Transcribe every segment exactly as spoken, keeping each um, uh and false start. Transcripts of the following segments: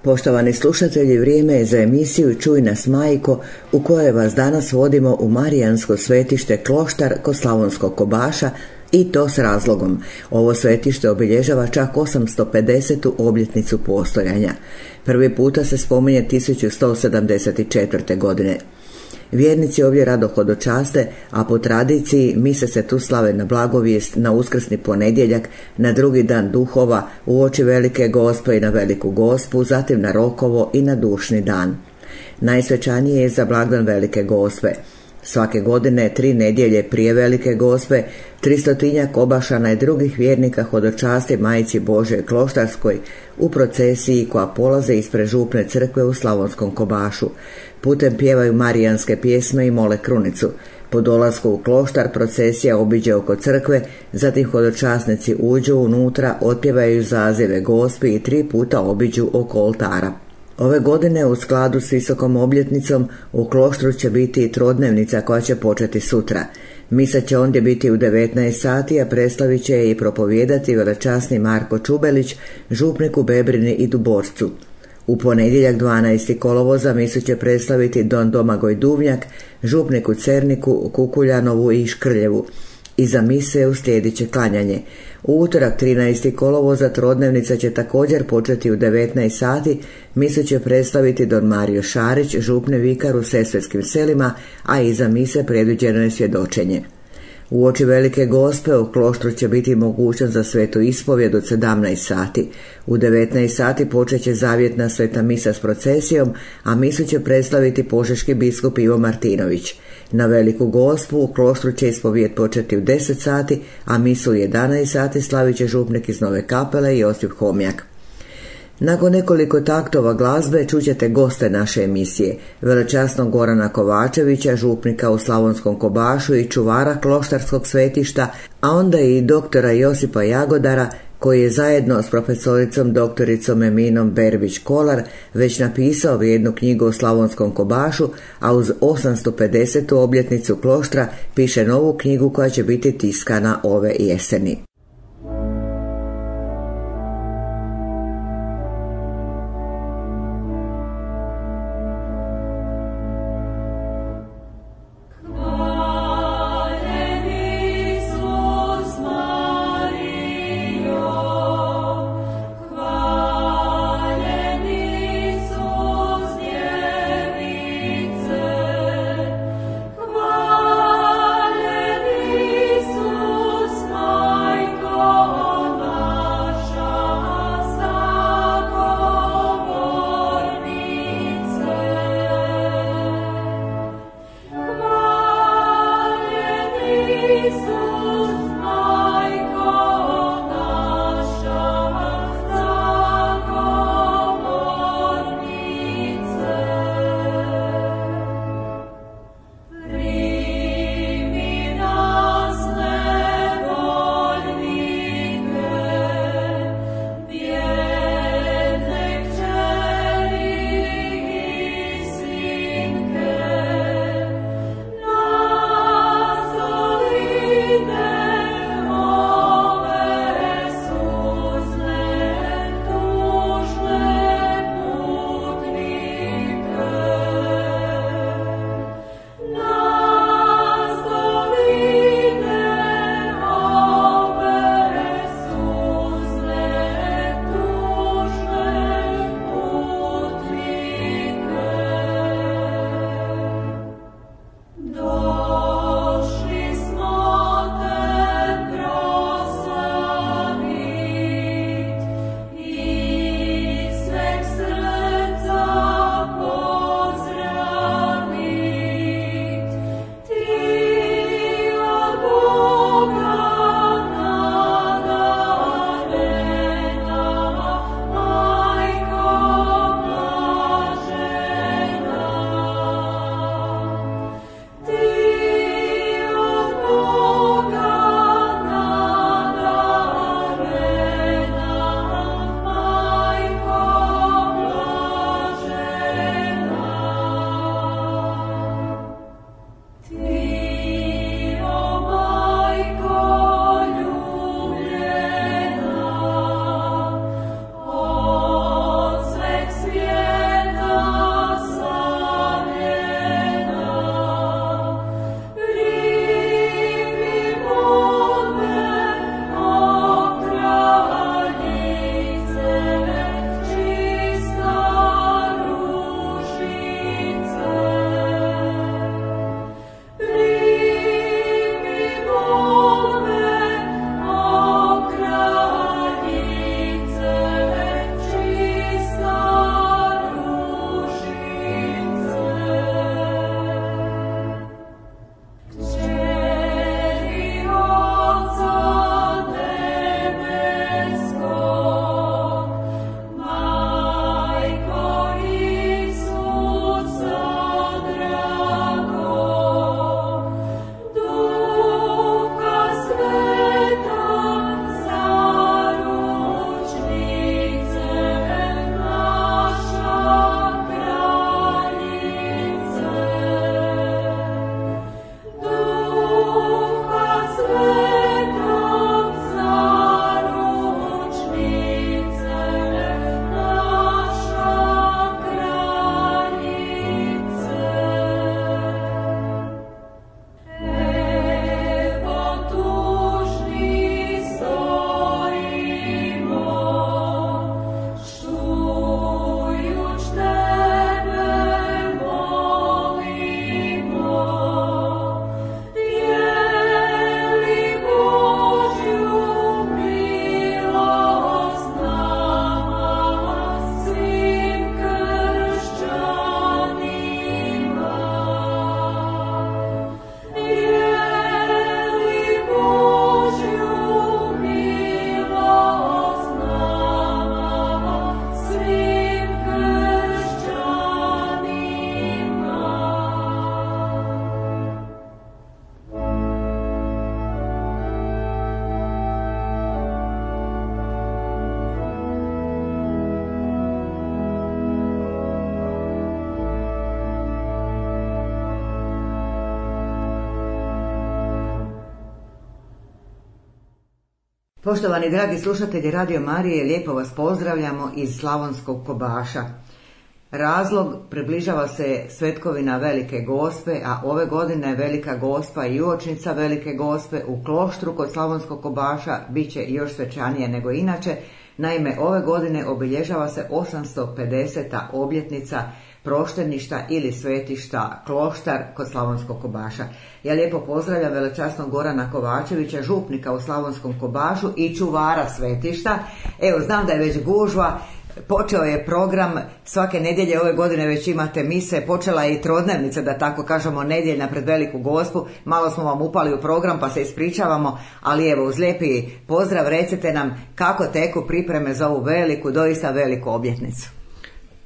Poštovani slušatelji, vrijeme je za emisiju Čuj nas majko, u kojoj vas danas vodimo u marijansko svetište Kloštar kod Slavonskog Kobaša, i to s razlogom. Ovo svetište obilježava čak osamsto pedesetu obljetnicu postojanja. Prvi puta se spominje tisuću sto sedamdeset četvrte. godine. Vjernici ovdje rado hodočaste, a po tradiciji mise se tu slave na blagovijest, na uskrsni ponedjeljak, na drugi dan duhova, uoči Velike Gospe i na Veliku Gospu, zatim na Rokovo i na Dušni dan. Najsvečanije je za blagdan Velike Gospe. Svake godine, tri nedjelje prije Velike Gospe, tristotinjak Kobašana i drugih vjernika hodočasti Majci Božjoj Kloštarskoj u procesiji koja polaze ispred župne crkve u Slavonskom Kobašu. Putem pjevaju marijanske pjesme i mole krunicu. Po dolasku u Kloštar procesija obiđe oko crkve, zatim hodočasnici uđu unutra, otpjevaju zazive Gospi i tri puta obiđu oko oltara. Ove godine u skladu s visokom obljetnicom u Kloštru će biti i trodnevnica koja će početi sutra. Misa će ondje biti u devetnaest sati, a predstavit će je i propovijedati velečasni Marko Čubelić, župnik u Bebrini i Duborcu. U ponedjeljak dvanaestog kolovoza misu će predstaviti don Domagoj Duvnjak, župnik u Cerniku, Kukuljanovu i Škrljevu. Iza mise uslijedit će klanjanje. U utorak trinaestog kolovoza trodnevnica će također početi u devetnaest sati, misu će predstaviti don Mario Šarić, župni vikar u Sesvetskim selima, a iza mise predviđeno je svjedočenje. Uoči Velike Gospe u Kloštru će biti mogućnost za svetu ispovjed od sedamnaest sati. U devetnaest sati počet će zavjetna sveta misa s procesijom, a misu će predstaviti požeški biskup Ivo Martinović. Na Veliku Gospu u Kloštru će ispovjed početi u deset sati, a misu u jedanaest sati slavit će župnik iz Nove Kapele Josip Homjak. Nakon nekoliko taktova glazbe čućete goste naše emisije, velečasnog Gorana Kovačevića, župnika u Slavonskom Kobašu i čuvara kloštarskog svetišta, a onda i doktora Josipa Jagodara, koji je zajedno s profesoricom doktoricom Eminom Berbić-Kolar već napisao vrijednu knjigu o Slavonskom Kobašu, a uz osamsto pedesetu obljetnicu Kloštra piše novu knjigu koja će biti tiskana ove jeseni. Hvala Poštovani dragi slušatelji Radio Marije, lijepo vas pozdravljamo iz Slavonskog Kobaša. Razlog, približava se svetkovina Velike Gospe, a ove godine Velika Gospa i uočnica Velike Gospe u Kloštru kod Slavonskog Kobaša bit će još svečanije nego inače. Naime, ove godine obilježava se osamsto pedeseta obljetnica prošteništa ili svetišta Kloštar kod Slavonskog Kobaša. Ja lijepo pozdravljam velečasnog Gorana Kovačevića, župnika u Slavonskom Kobašu i čuvara svetišta. Evo, znam da je već gužva, počeo je program, svake nedjelje ove godine već imate mise, počela je i trodnevnica, da tako kažemo, nedjeljna pred Veliku Gospu. Malo smo vam upali u program pa se ispričavamo, ali evo, uz lijepi pozdrav recite nam kako teku pripreme za ovu veliku, doista veliku obljetnicu.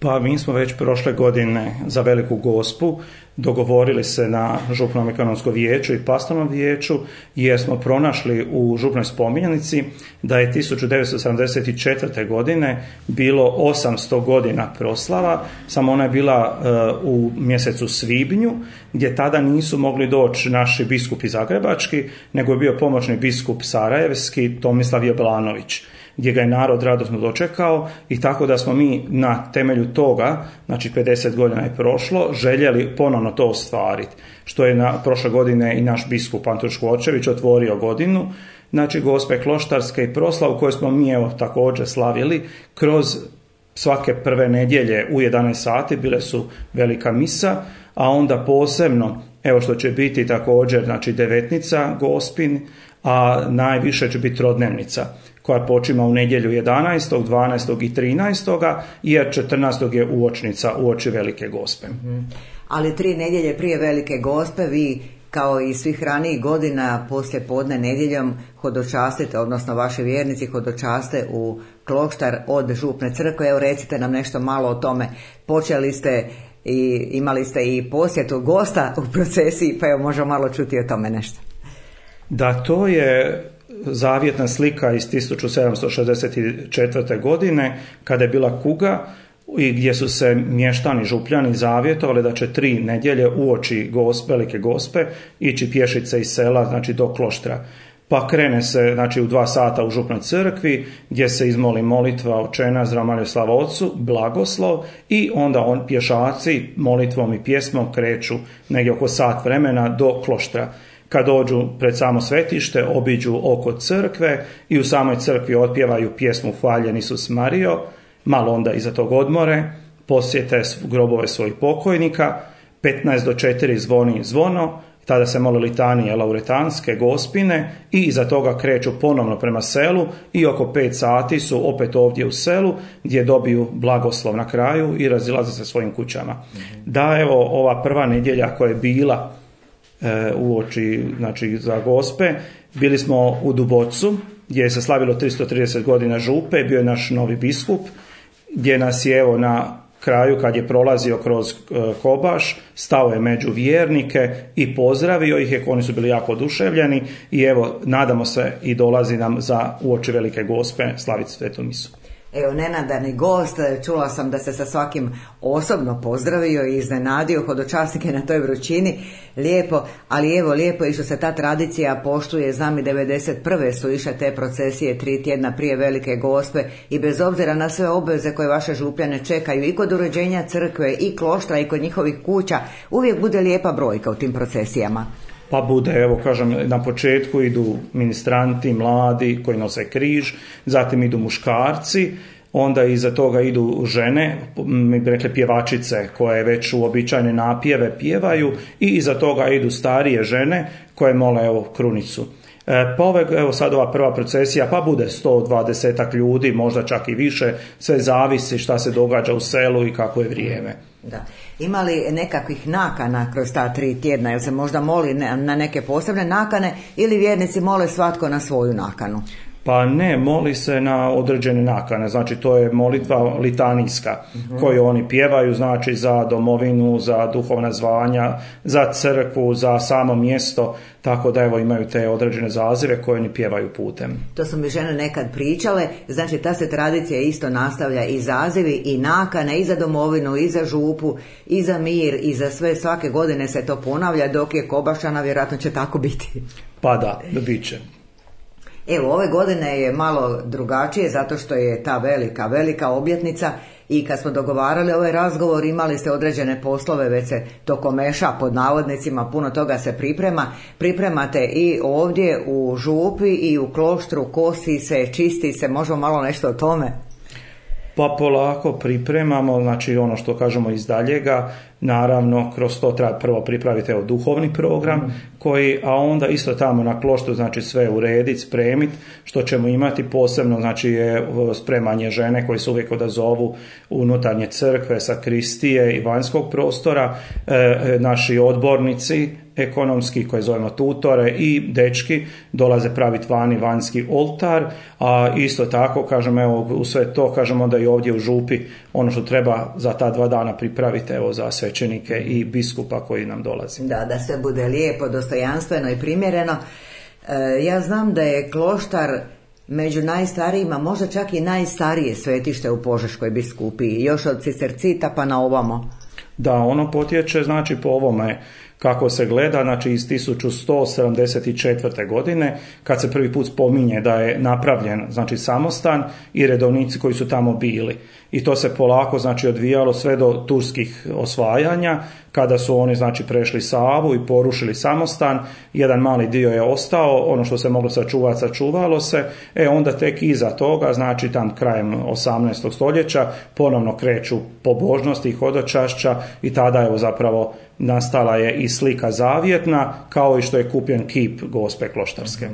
Pa mi smo već prošle godine za Veliku Gospu dogovorili se na župnom ekonomskom vijeću i pastornom vijeću, jer smo pronašli u župnoj spominjanici da je tisuću devetsto sedamdeset četvrte. godine bilo osamsto godina proslava, samo ona je bila uh, u mjesecu svibnju, gdje tada nisu mogli doći naši biskupi zagrebački, nego je bio pomoćni biskup sarajevski Tomislav Jablanović, gdje ga je narod radosno dočekao, i tako da smo mi na temelju toga, znači pedeset godina je prošlo, željeli ponovno to ostvariti, što je na prošle godine i naš biskup Antun Škvorčević otvorio godinu, znači Gospe Kloštarske i proslavu koju smo mi evo također slavili kroz svake prve nedjelje u jedanaest sati, bile su velika misa, a onda posebno, evo što će biti također, znači devetnica Gospin, a najviše će biti trodnevnica, koja počima u nedjelju jedanaestog, dvanaestog i trinaestog jer četrnaestog je uočnica uoči Velike Gospe. Mm-hmm. Ali tri nedjelje prije Velike Gospe vi, kao i svih ranijih godina, poslije podne nedjeljom hodočastite, odnosno vaši vjernici hodočaste u Kloštar od župne crkve. Evo, recite nam nešto malo o tome. Počeli ste i imali ste i posjetu gosta u procesiji, pa evo možemo malo čuti o tome nešto. Da, to je zavjetna slika iz tisuću sedamsto šezdeset četvrte. godine, kada je bila kuga i gdje su se mještani župljani zavjetovali da će tri nedjelje uoči Gospe, Velike Gospe ići pješice iz sela, znači do Kloštra. Pa krene se, znači, u dva sata u župnoj crkvi, gdje se izmoli molitva Oče naš, zdrav Marijo, slava Otcu, blagoslov, i onda on pješaci molitvom i pjesmom kreću negdje oko sat vremena do Kloštra. Kad dođu pred samo svetište, obiđu oko crkve i u samoj crkvi otpjevaju pjesmu Hvaljen Isus Marijo, malo onda iza tog odmore, posjete grobove svojih pokojnika, petnaest do četiri zvoni zvono, tada se mole litanije lauretanske, gospine, i iza toga kreću ponovno prema selu i oko pet sati su opet ovdje u selu, gdje dobiju blagoslov na kraju i razilaze se svojim kućama. Mm-hmm. Da, evo, ova prva nedjelja koja je bila uoči, znači za Gospe, bili smo u Dubocu, gdje je se slavilo tristo trideset godina župe, bio je naš novi biskup, gdje nas je evo na kraju, kad je prolazio kroz Kobaš, stao je među vjernike i pozdravio ih je, oni su bili jako oduševljeni, i evo, nadamo se i dolazi nam za uoči Velike Gospe slaviti svetu misu. Evo, nenadani gost, čula sam da se sa svakim osobno pozdravio i iznenadio hodočasnike na toj vrućini, lijepo, ali evo, lijepo i što se ta tradicija poštuje. Znam i devedeset prve su išle te procesije tri tjedna prije Velike Gospe, i bez obzira na sve obveze koje vaše župljane čekaju i kod uređenja crkve i Kloštra i kod njihovih kuća, uvijek bude lijepa brojka u tim procesijama. Pa bude, evo kažem, na početku idu ministranti, mladi koji nose križ, zatim idu muškarci, onda iza toga idu žene, mi bi rekli pjevačice, koje već uobičajene napjeve pjevaju, i iza toga idu starije žene koje mole evo krunicu. E, pa ove, evo sad ova prva procesija, pa bude sto dvadeset ljudi, možda čak i više, sve zavisi šta se događa u selu i kako je vrijeme. Da. Ima li nekakvih nakana kroz ta tri tjedna, jel se možda moli na neke posebne nakane ili vjernici mole svatko na svoju nakanu? Pa ne, moli se na određene nakane, znači to je molitva litanijska, uh-huh. koju oni pjevaju, znači za domovinu, za duhovna zvanja, za crkvu, za samo mjesto, tako da evo imaju te određene zazive koje oni pjevaju putem. To su mi žene nekad pričale, znači ta se tradicija isto nastavlja, i zazivi i nakane, i za domovinu, i za župu, i za mir, i za sve, svake godine se to ponavlja, dok je Kobašana vjerojatno će tako biti. Pa da, da bit će. Evo, ove godine je malo drugačije zato što je ta velika, velika obljetnica i kad smo dogovarali ovaj razgovor imali ste određene poslove, već se to komeša pod navodnicima, puno toga se priprema. Pripremate i ovdje u župi i u kloštru, kosi se, čisti se, možemo malo nešto o tome? Pa polako pripremamo, znači ono što kažemo iz daljega, naravno kroz to treba prvo pripraviti evo, duhovni program, mm. koji, a onda isto tamo na kloštru znači sve urediti, spremiti, što ćemo imati posebno, znači je spremanje žene koji se uvijek odazovu unutarnje crkve, sakristije i vanjskog prostora, e, naši odbornici ekonomski koje zovemo tutore i dečki dolaze praviti vani vanjski oltar, a isto tako kažem evo u sve to kažemo da i ovdje u župi ono što treba za ta dva dana pripraviti evo za svećenike i biskupa koji nam dolazi. Da, da sve bude lijepo, dostojanstveno i primjereno. E, ja znam da je kloštar među najstarijima, možda čak i najstarije svetište u Požeškoj biskupiji, još od Cistercita pa na ovamo. Da, ono potječe znači po ovome kako se gleda, znači iz tisuću sto sedamdeset četvrte. godine, kad se prvi put spominje da je napravljen znači samostan i redovnici koji su tamo bili. I to se polako znači odvijalo sve do turskih osvajanja, kada su oni znači prešli Savu i porušili samostan, jedan mali dio je ostao, ono što se moglo sačuvati, sačuvalo se, e onda tek iza toga, znači tam krajem osamnaestog stoljeća, ponovno kreću pobožnosti i hodočašća i tada evo zapravo nastala je i slika zavjetna, kao i što je kupljen kip Gospe Kloštarske.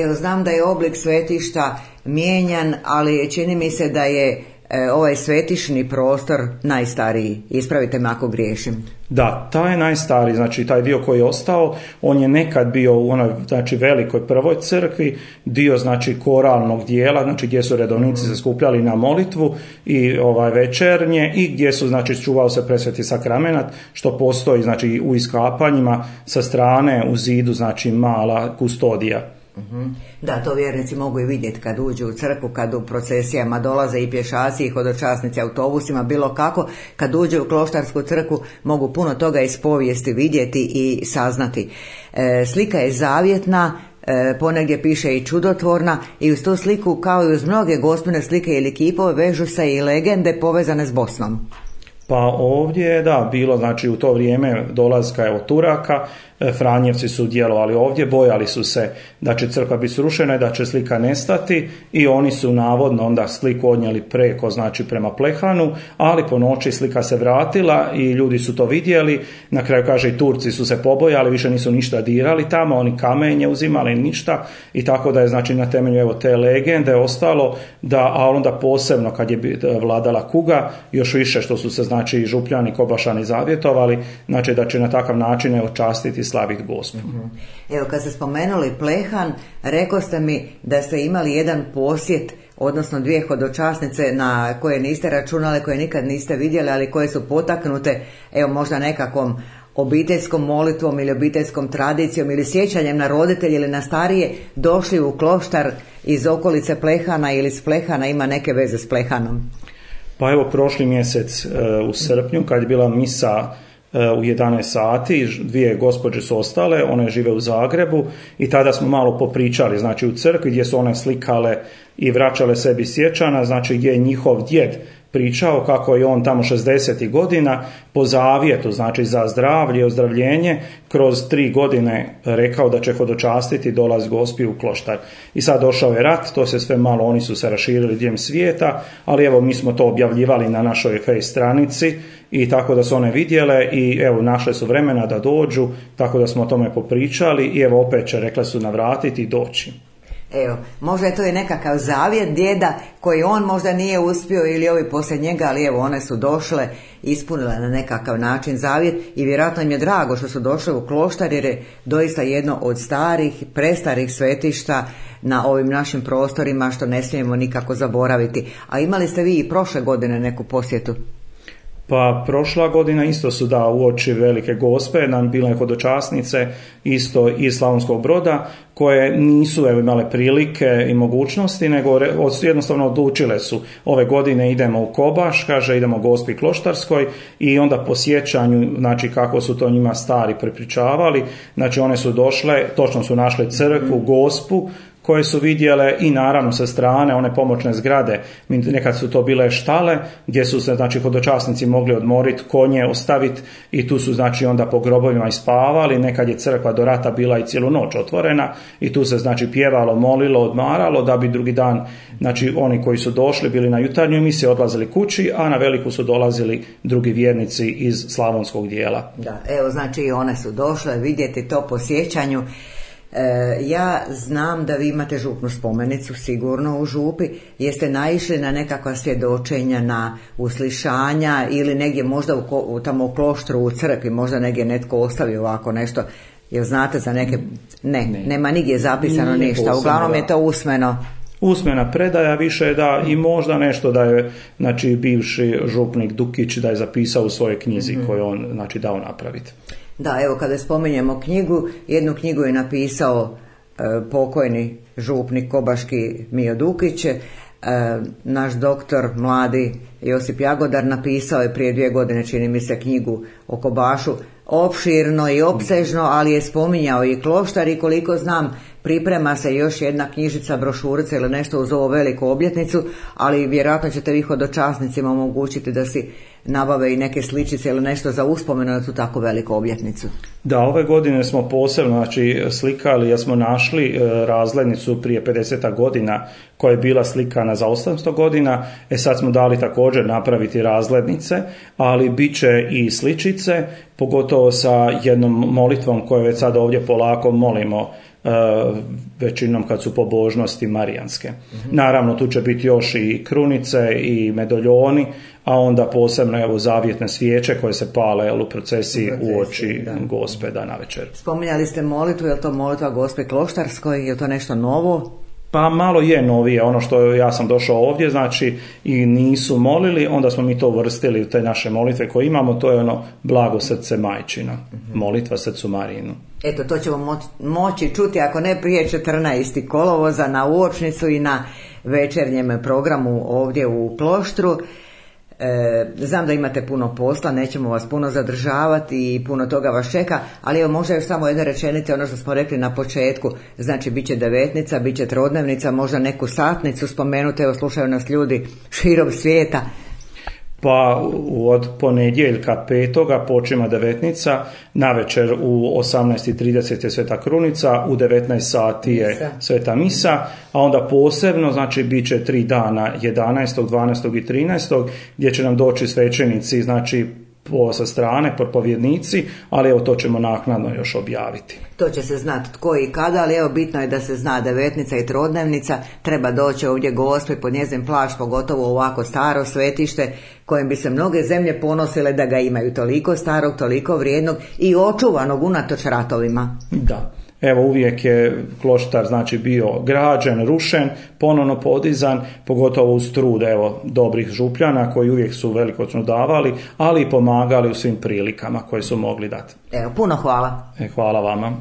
Evo, znam da je oblik svetišta mijenjan, ali čini mi se da je e, ovaj svetišni prostor najstariji. Ispravite me ako griješim. Da, taj je najstariji, znači taj dio koji je ostao, on je nekad bio u onoj znači velikoj prvoj crkvi, dio znači koralnog dijela, znači gdje su redovnici se skupljali na molitvu i ovaj večernje i gdje su znači čuvao se presveti sakramenat, što postoji znači u iskapanjima sa strane u zidu znači mala kustodija. Da, to vjernici mogu i vidjeti kad uđu u crkvu, kad u procesijama dolaze i pješaci i hodočasnici autobusima, bilo kako, kad uđu u kloštarsku crkvu mogu puno toga iz povijesti vidjeti i saznati. E, slika je zavjetna, e, ponegdje piše i čudotvorna i uz tu sliku kao i uz mnoge gospine slike ili kipove vežu se i legende povezane s Bosnom. Pa ovdje je da bilo znači u to vrijeme dolaska evo Turaka, Franjevci su djelovali ovdje, bojali su se da će crkva biti srušena i da će slika nestati i oni su navodno onda sliku odnijeli preko, znači prema Plehanu, ali po noći slika se vratila i ljudi su to vidjeli, na kraju kaže i Turci su se pobojali, više nisu ništa dirali tamo, oni kamenje uzimali ništa i tako da je znači na temelju evo te legende ostalo da, a onda posebno kad je vladala kuga, još više što su se znači župljani, kobašani zavjetovali, znači da će na takav način očastiti slaviti Gospu. Evo, kad ste spomenuli Plehan, rekao ste mi da ste imali jedan posjet, odnosno dvije hodočasnice na koje niste računali, koje nikad niste vidjeli, ali koje su potaknute, evo možda nekakvom obiteljskom molitvom ili obiteljskom tradicijom ili sjećanjem na roditelje ili na starije, došli u kloštar iz okolice Plehana ili s Plehana, ima neke veze s Plehanom. Pa evo prošli mjesec u srpnju kad je bila misa u jedanaest sati, dvije gospođe su ostale, one žive u Zagrebu i tada smo malo popričali, znači u crkvi gdje su one slikale i vraćale sebi sjećana, znači gdje je njihov djed pričao kako je on tamo šezdesetih godina po zavjetu, znači za zdravlje i ozdravljenje, kroz tri godine rekao da će hodočastiti dolaz Gospi u kloštar. I sad došao je rat, to se sve malo, oni su se raširili diljem svijeta, ali evo mi smo to objavljivali na našoj face stranici i tako da su one vidjele i evo našle su vremena da dođu, tako da smo o tome popričali i evo opet će, rekle su, navratiti i doći. Evo, možda je to i nekakav zavjet djeda koji on možda nije uspio ili ovi poslije njega, ali evo one su došle, ispunile na nekakav način zavjet i vjerojatno im je drago što su došle u Kloštar jer je doista jedno od starih, prestarih svetišta na ovim našim prostorima što ne smijemo nikako zaboraviti. A imali ste vi i prošle godine neku posjetu? Pa prošla godina isto su da uoči Velike Gospe nam bile hodočasnice isto iz Slavonskog Broda koje nisu evo, imale prilike i mogućnosti nego jednostavno odlučile su ove godine idemo u Kobaš, kaže idemo Gospi Kloštarskoj i onda po sjećanju znači kako su to njima stari prepričavali, znači one su došle, točno su našle crkvu, Gospu koje su vidjele i naravno sa strane one pomoćne zgrade, nekad su to bile štale gdje su se znači hodočasnici mogli odmoriti, konje ostaviti i tu su znači onda po grobovima ispavali, nekad je crkva do rata bila i cijelu noć otvorena i tu se znači pjevalo, molilo, odmaralo da bi drugi dan znači oni koji su došli bili na jutarnju emisiju odlazili kući, a na veliku su dolazili drugi vjernici iz slavonskog dijela. Da, evo znači i one su došle vidjeti to po sjećanju. Ja znam da vi imate župnu spomenicu sigurno u župi. Jeste naišli na nekakva svjedočenja, na uslišanja ili negdje možda u, u, tamo u kloštru, u crkvi, možda negdje netko ostavi ovako nešto? Jel znate za neke? Ne, ne. Nema nigdje zapisano Nije ništa. Uglavnom je to usmeno. Usmena predaja više da i možda nešto da je znači bivši župnik Dukić da je zapisao u svojoj knjizi mm-hmm. koju on znači dao napraviti. Da, evo kada spominjemo knjigu, jednu knjigu je napisao e, pokojni župnik kobaški Mijo Dukić, e, naš doktor mladi Josip Jagodar napisao je prije dvije godine čini mi se knjigu o Kobašu, opširno i opsežno, ali je spominjao i Kloštar i koliko znam priprema se još jedna knjižica, brošurica ili nešto uz ovu veliku obljetnicu, ali vjerojatno ćete vi hodočasnicima omogućiti da si nabave i neke sličice ili nešto za uspomenu na tu tako veliku obljetnicu. Da, ove godine smo posebno znači, slikali, jer smo našli e, razglednicu prije pedeset godina koja je bila slikana za osamsto godina, e sad smo dali također napraviti razglednice, ali bit će i sličice, pogotovo sa jednom molitvom koju već sad ovdje polako molimo, Uh, većinom kad su pobožnosti marijanske. Mm-hmm. Naravno tu će biti još i krunice i medaljoni, a onda posebno evo zavjetne svijeće koje se pale u procesiji u oči Gospe da navečer. Spominjali ste molitvu, je li to molitva Gospe Kloštarskoj, je li to nešto novo? Pa malo je novije, ono što ja sam došao ovdje, znači i nisu molili, onda smo mi to uvrstili u te naše molitve koje imamo, to je ono blago srce majčino, mm-hmm. molitva srcu Marijinu. Eto, to ćemo mo- moći čuti, ako ne prije četrnaestog kolovoza na uočnicu i na večernjem programu ovdje u Kloštru. E, znam da imate puno posla, nećemo vas puno zadržavati i puno toga vas čeka, ali evo možda još samo jedne rečenice, ono što smo rekli na početku, znači bit će devetnica, bit će trodnevnica, možda neku satnicu spomenuti, evo slušaju nas ljudi širom svijeta. Pa od ponedjeljka petoga počima devetnica, navečer u osamnaest i trideset je Sveta Krunica, u devetnaest sati je misa. Sveta Misa, a onda posebno, znači, bit će tri dana, jedanaestog, dvanaestog i trinaestog, gdje će nam doći svećenici, znači, po sa strane, propovjednici, ali evo to ćemo naknadno još objaviti. To će se znati tko i kada, ali evo bitno je da se zna devetnica i trodnevnica, treba doći ovdje Gospi pod njezin plašt, pogotovo ovako staro svetište, kojim bi se mnoge zemlje ponosile da ga imaju toliko starog, toliko vrijednog i očuvanog unatoč ratovima. Da. Evo uvijek je Kloštar znači bio građen, rušen, ponovno podizan, pogotovo uz trud evo dobrih župljana koji uvijek su velikoćno davali, ali i pomagali u svim prilikama koje su mogli dati. Evo, puno hvala. E, hvala vama.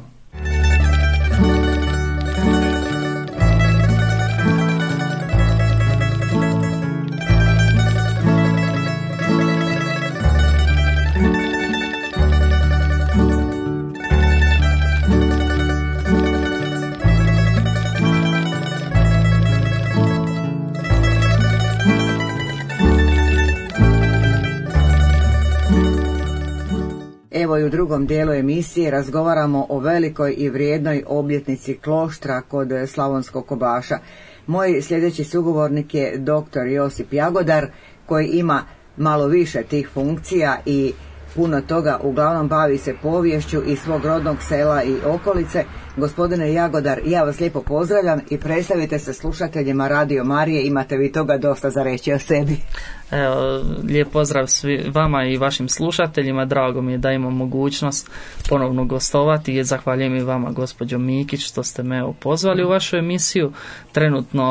Evo i u drugom dijelu emisije razgovaramo o velikoj i vrijednoj obljetnici Kloštra kod Slavonskog Kobaša. Moj sljedeći sugovornik je doktor Josip Jagodar koji ima malo više tih funkcija i puno toga, uglavnom bavi se poviješću i svog rodnog sela i okolice. Gospodine Jagodar, ja vas lijepo pozdravljam i predstavite se slušateljima Radio Marije, imate vi toga dosta za reći o sebi. Evo, lijep pozdrav svi, vama i vašim slušateljima, drago mi je da imam mogućnost ponovno gostovati i zahvaljujem i vama, gospođo Mikić, što ste me evo, pozvali u vašu emisiju. Trenutno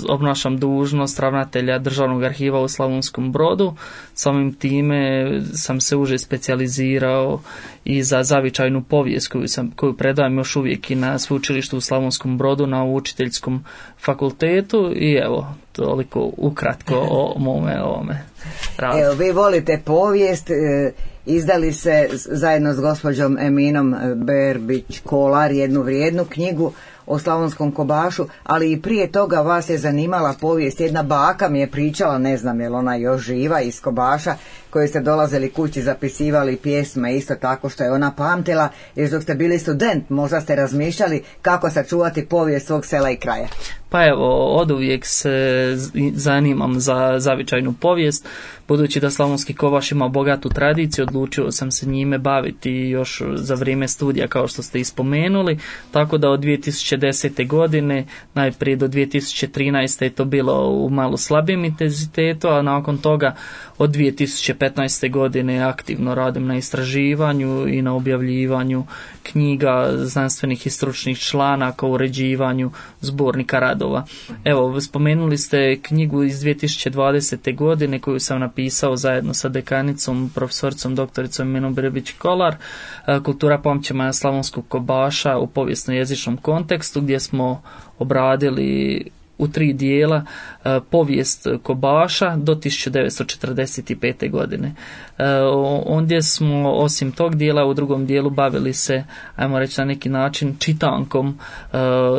obnašam dužnost ravnatelja Državnog arhiva u Slavonskom Brodu, samim time sam se uže specijalizirao i za zavičajnu povijest koju, sam, koju predajem još uvijek i na sveučilištu u Slavonskom Brodu na učiteljskom fakultetu i evo, toliko ukratko o mome ovome radu. Evo, vi volite povijest, izdali se zajedno s gospođom Eminom Berbić-Kolar jednu vrijednu knjigu o Slavonskom Kobašu, ali i prije toga vas je zanimala povijest. Jedna baka mi je pričala, ne znam je li ona još živa, iz Kobaša, koji ste dolazili kući, zapisivali pjesme, isto tako što je ona pamtila, jer dok ste bili student možda ste razmišljali kako sačuvati povijest svog sela i kraja. Pa evo, oduvijek se zanimam za zavičajnu povijest. Budući da Slavonski Kobaš ima bogatu tradiciju, odlučio sam se njime baviti još za vrijeme studija, kao što ste ispomenuli, tako da od dvije tisuće desete. godine, najprije do dvije tisuće trinaeste. je to bilo u malo slabijem intenzitetu, a nakon toga od dvije tisuće petnaeste. godine aktivno radim na istraživanju i na objavljivanju knjiga, znanstvenih i stručnih članaka, uređivanju zbornika radova. Evo, spomenuli ste knjigu iz dvije tisuće dvadesete. godine koju sam napisao zajedno sa dekanicom, profesoricom doktoricom Eminom Berbić-Kolar, Kultura pamćenja Slavonskog Kobaša u povijesno-jezičnom kontekstu, gdje smo obradili u tri dijela povijest Kobaša do tisuću devetsto četrdeset pete. godine. Ondje smo osim tog dijela u drugom dijelu bavili se, ajmo reći na neki način, čitankom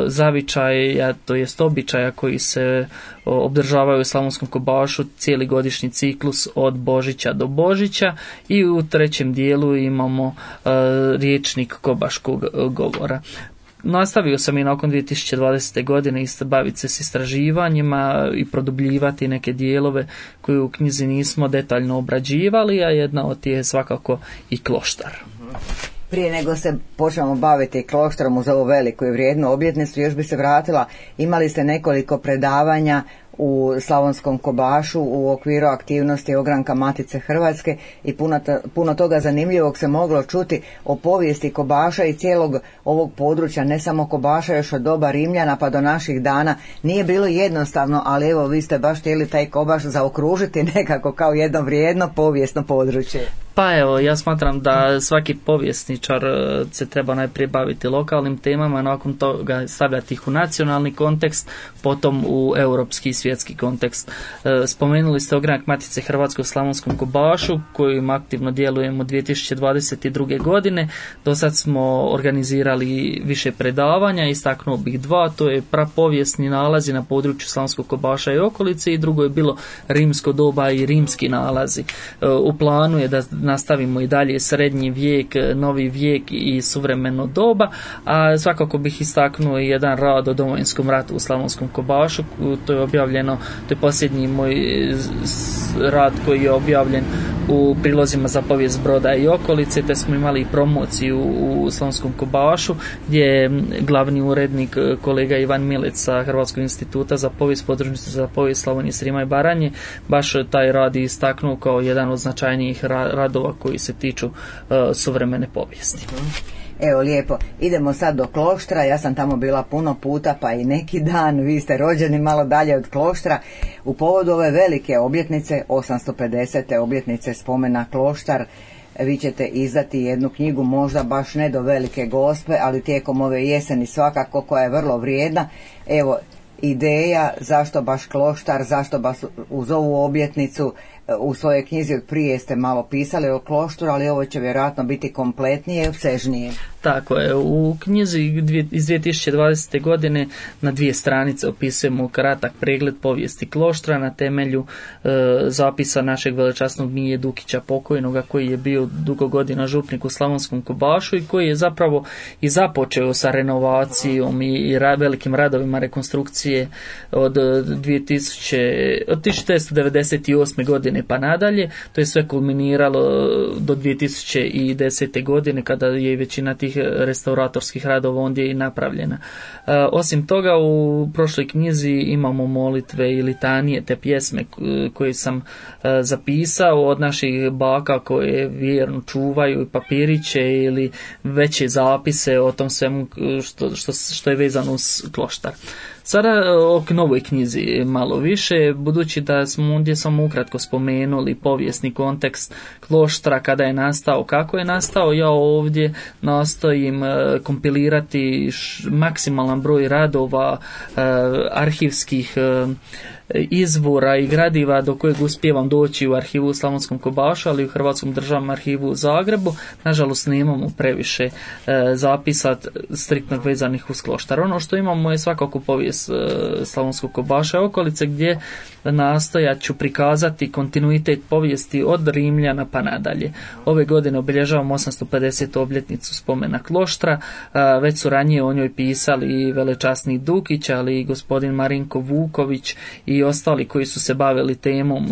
zavičaja, to jest običaja koji se obdržavaju u Slavonskom Kobašu, cijeli godišnji ciklus od Božića do Božića, i u trećem dijelu imamo riječnik kobaškog govora. Nastavio sam i nakon dvije tisuće dvadesete. godine isto baviti se s istraživanjima i produbljivati neke dijelove koje u knjizi nismo detaljno obrađivali, a jedna od tih je svakako i kloštar. Prije nego se počnemo baviti kloštarom uz ovu veliku i vrijednu obljetnicu, još bi se vratila, imali ste nekoliko predavanja u Slavonskom Kobašu u okviru aktivnosti Ogranka Matice Hrvatske i puno, puno toga zanimljivog se moglo čuti o povijesti Kobaša i cijelog ovog područja, ne samo Kobaša, još od doba Rimljana pa do naših dana. Nije bilo jednostavno, ali evo, vi ste baš htjeli taj Kobaš zaokružiti nekako kao jedno vrijedno povijesno područje. Pa evo, ja smatram da svaki povjesničar se treba najprije baviti lokalnim temama, nakon toga stavljati ih u nacionalni kontekst, potom u europski i svjetski kontekst. Spomenuli ste Ogranak Matice Hrvatske u Slavonskom Kobašu, kojim aktivno djelujemo dvije tisuće dvadeset druge. godine. Do sad smo organizirali više predavanja, istaknuo bih dva, to je prapovijesni nalazi na području Slavonskog Kobaša i okolice, i drugo je bilo rimsko doba i rimski nalazi. U planu je da nastavimo i dalje srednji vijek, novi vijek i suvremeno doba, a svakako bih istaknuo i jedan rad o Domovinskom ratu u Slavonskom Kobašu. To je objavljeno, to je posljednji moj rad koji je objavljen u prilozima za povijest Broda i okolice, te smo imali promociju u Slavonskom Kobašu, gdje je glavni urednik kolega Ivan Milec sa Hrvatskog instituta za povijest, podružnice za povijest Slavonije, Srijema i Baranje, baš taj rad istaknuo kao jedan od značajnijih radova koji se tiču uh, suvremene povijesti. Evo, lijepo. Idemo sad do Kloštra. Ja sam tamo bila puno puta, pa i neki dan. Vi ste rođeni malo dalje od Kloštra. U povodu ove velike obljetnice, osamsto pedesete obljetnice spomena Kloštar, vi ćete izdati jednu knjigu, možda baš ne do Velike Gospe, ali tijekom ove jeseni svakako, koja je vrlo vrijedna. Evo, ideja zašto baš Kloštar, zašto baš uz ovu obljetnicu. U svojoj knjizi od prije ste malo pisali o Kloštru, ali ovo će vjerojatno biti kompletnije i opsežnije. Tako je, u knjizi iz dvije tisuće dvadesete. godine na dvije stranice opisujemo kratak pregled povijesti Kloštra na temelju e, zapisa našeg velečasnog Mije Dukića pokojnoga, koji je bio dugo godina župnik u Slavonskom Kobašu i koji je zapravo i započeo sa renovacijom i, i ra, velikim radovima rekonstrukcije od, dvije tisuće, od tisuću devetsto devedeset osme. godine godine pa nadalje. To je sve kulminiralo do dvije tisuće desete godine kada je većina tih restauratorskih radova ondje i napravljena. Osim toga, u prošloj knjizi imamo molitve i litanije, te pjesme koje sam zapisao od naših baka koje vjerno čuvaju papiriće ili veće zapise o tom svemu što, što, što je vezano uz kloštar. Sada o novoj knjizi malo više, budući da smo ondje samo ukratko spomenuli povijesni kontekst kloštra, kada je nastao, kako je nastao, ja ovdje nastojim kompilirati maksimalan broj radova, arhivskih izvora i gradiva do kojeg uspijevam doći u arhivu u Slavonskom Kobašu, ali i u Hrvatskom državnom arhivu u Zagrebu. Nažalost, nemamo previše e, zapisa striktno vezanih uz kloštar. Ono što imamo je svakako povijest e, Slavonskog Kobaša i okolice, gdje nastojat ću prikazati kontinuitet povijesti od Rimljana pa nadalje. Ove godine obilježavamo osamsto pedesetu obljetnicu spomena kloštra. E, već su ranije o njoj pisali i velečasni Dukić, ali i gospodin Marinko Vuković i ostali koji su se bavili temom